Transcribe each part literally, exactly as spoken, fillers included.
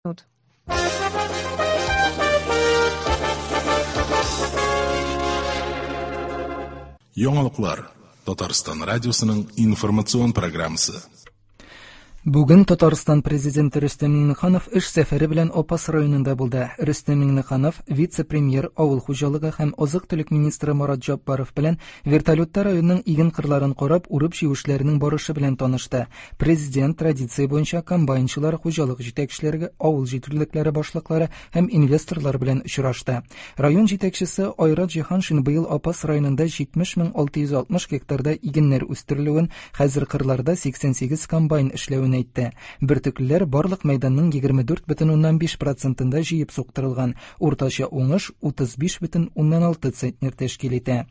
Минут. Яңалыклар Татарстан радиосының информацион программасы. Бүген Татарстан президенты Рөстәм Миңнеханов эш сәфәре белән Апас районында булды. Рөстәм Миңнеханов вице-премьер, авыл хуҗалыгы һәм азык-төлек министры Марат Җаббаров белән вертолетта районның иген кырларын карап, урып-җыю эшләренең барышы белән танышты. Президент традиция буенча комбайнчылар, хуҗалык җитәкчеләре, авыл җитлекләре башлыклары һәм инвесторлар белән очрашты. Район җитәкчесе Айрат Җиһаншин быел Апас районында җитмеш мең алты йөз алтмыш гектарда игеннәр үстерелүен, хәзер кырларда сиксән сигез комбайн эшләвен әйтте. Бөртеклеләр барлык мәйданның егерме дүрт бөтен уннан биш процентында җыеп суктырылган. Уртача уңыш утыз биш бөтен уннан алты центнер тәшкил итә.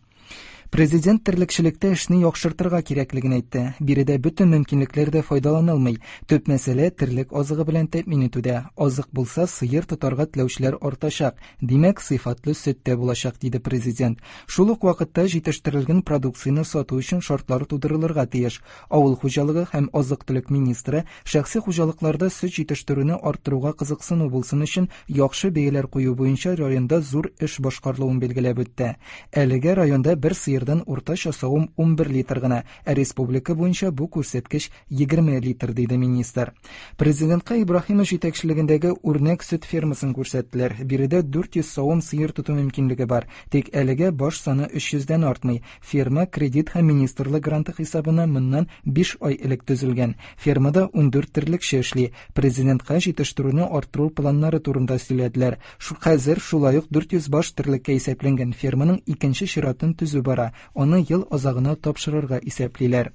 Президент терлекчелектә эшне яхшыртырга кирәклеген әйтте. Биредә бөтен мөмкинлекләр дә файдаланылмый. Төп мәсьәлә терлек азыгы белән тәэмин итүдә. Азык булса, сыер тотарга теләүчеләр артачак. Димәк, сыйфатлы сөт тә булачак, диде президент. Шул ук вакытта җитештерелгән продукцияне сату өчен шартлар тудырылырга тиеш. Авыл хуҗалыгы һәм азык-төлек министры шәхси хуҗалыкларда сөт җитештерүне арттыруга кызыксыну булсын өчен яхшы бәяләр кую буенча районда зур эш башкарылуын билгеләп үтте. Әлегә районда бер сыер уртача савым унбер литр гына, ә республика буенча бу күрсәткеч егерме литр, диде министр. Президентка Ибраһимов җитәкчелегендәге үрнәк сөт фермасын күрсәттеләр. Биредә дүрт йөз савым сыер тоту мөмкинлеге бар. Тик әлегә баш саны өч йөздән артмый. Ферма кредит һәм министрлык гранты хисабына моннан биш ай элек төзелгән. Фермада ундүрт терлекче эшли. Президентка җитештерүне арттыру планнары турында сөйләделәр. Шу хәзер шулай ук дүрт йөз баш терлеккә исәпләнгән ферманың икенче чиратын төзү бара. Аны ел азагына тапшырырга исәплиләр.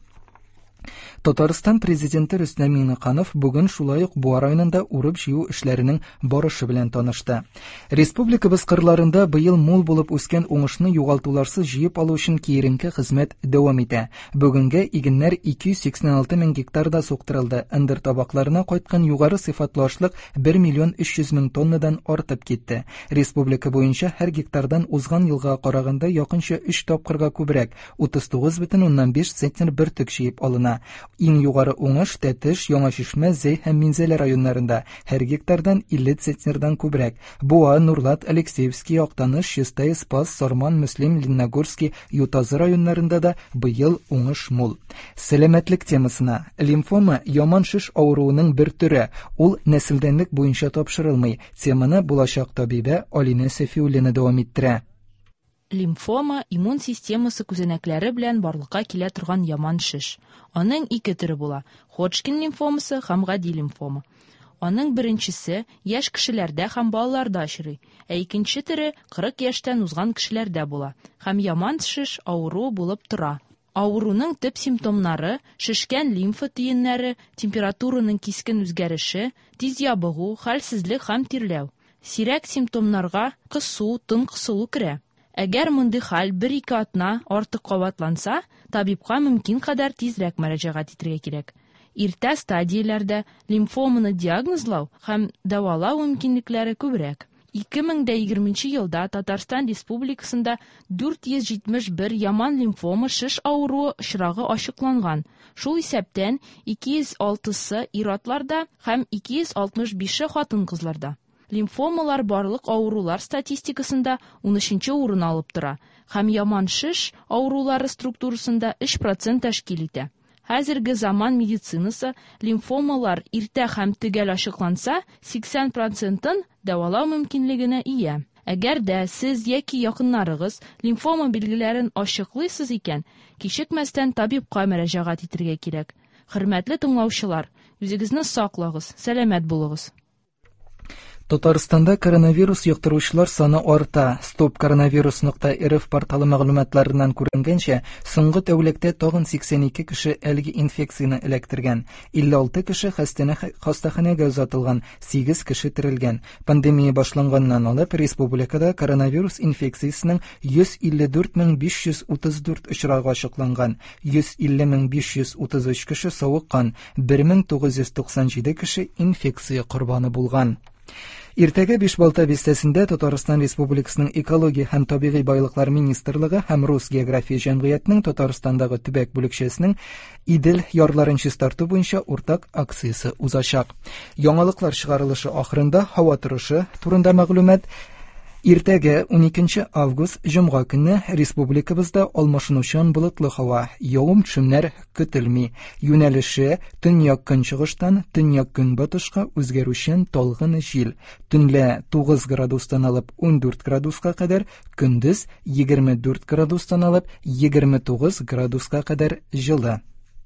Татарстан президенты Рөстәм Миңнеханов бүген шулай ук Буа районында урып-җыю эшләренең барышы белән танышты. Республикабыз кырларында быел мул булып үскән уңышны югалтуларсыз җыеп алу өчен киеренке хезмәт дәвам итә. Бүгенгә игеннәр ике йөз сиксән алты мең гектарда суктырылды. Ындыр табакларына кайткан югары сыйфатлы ашлык бер миллион өч йөз мең тоннадан артып китте. Республика буенча һәр гектардан узган елга караганда якынча өч тапкырга күбрәк, утыз тугыз бөтен уннан биш центнер бөртек җыеп алына. Иң югары уңыш Тәтеш, Яңа Чишмә, Зәй һәм Минзәлә районнарында һәр гектардан илле центнердан күбрәк. Буа, Нурлат, Алексеевский, Актаныш, Чистай, Спас, Сарман, Мөслим, Лениногорский, Ютазы районнарында да быел уңыш мул. Сәламәтлек темасына. Лимфома яман шеш авыруының бер төре. Ул нәселдәнлек буенча тапшырылмый. Теманы булачак табибә Алинә Сәфиуллина дәвам иттерә. Лимфома иммун системасы күзәнәкләре белән барлыкка килә торган яман шеш. Аның ике төре була: Ходжкин лимфомасы һәм гади лимфома. Аның беренчесе яшь кешеләрдә һәм балаларда очрый, ә икенче төре кырык яшьтән узган кешеләрдә була һәм яман шеш авыруы булып тора. Авыруның төп симптомнары шешкән лимфа төеннәре, температураның кискен үзгәреше, тиз ябыгу, хәлсезлек һәм тирләү. Сирәк симптомнарга кысу, тын кысылу керә. Әгәр мондый хәл бер-ике атна артык кабатланса, табибка мөмкин кадәр тизрәк мөрәҗәгать итәргә кирәк. Иртә стадияләрдә лимфоманы диагнозлау һәм дәвалау мөмкинлекләре күбрәк. Ике мең дә егерменче елда Татарстан Республикасында дүрт йөз җитмеш бер яман лимфома шеш авыруы очрагы ачыкланган. Шул исәптән ике йөз алтысы ир-атларда һәм ике йөз алтмыш бише хатын-кызларда. Лимфомалар барлык авырулар статистикасында унөченче урын алып тора һәм яман шеш авырулары структурасында өч процент тәшкил итә. Хәзерге заман медицинасы лимфомалар иртә һәм төгәл ачыкланса, сиксән процентын дәвалау мөмкинлегенә ия. Әгәр дә сез яки якыннарыгыз лимфома билгеләрен ачыклыйсыз икән, кичекмәстән табибка мөрәҗәгать итәргә кирәк. Хөрмәтле тыңлаучылар, үзегезне саклагыз, сәламәт булыгыз. Татарстанда коронавирус йоктыручылар саны арта. Стоп коронавирус нокта рф порталы мәгълүматларыннан күренгәнчә, соңгы тәүлектә тагын сиксән ике кеше әлеге инфекцияне эләктергән. Илле алты кеше хастаханәгә озатылган, сигез кеше терелгән. Пандемия башланганнан алып республикада коронавирус инфекциясенең йөз илле дүрт мең биш йөз утыз дүрт очрагы ачыкланган. Йөз илле мең биш йөз утыз өч кеше савыккан, бер мең тугыз йөз туксан җиде кеше инфекция корбаны булган. Иртәгә Бишбалта бистәсендә Татарстан Республикасының Экология һәм табигый байлыклар министрлыгы һәм Рус география җәмгыятенең Татарстандагы төбәк бүлекчәсенең Идел ярларын чистарту буенча уртак акциясе узачак. Яңалыклар чыгарылышы ахырында һава торышы турында мәгълүмат. Иртәгә уникенче август җомга көнне республикабызда алмашынучан болытлы һава, явым-төшемнәр көтелми. Юнәлеше төньяк-көнчыгыштан төньяк-көнбатышка үзгәрүчән талгын җил. Төнлә тугыз градустан алып ундүрт градуска кадәр, көндез егерме дүрт градустан алып егерме тугыз градуска кадәр җылы.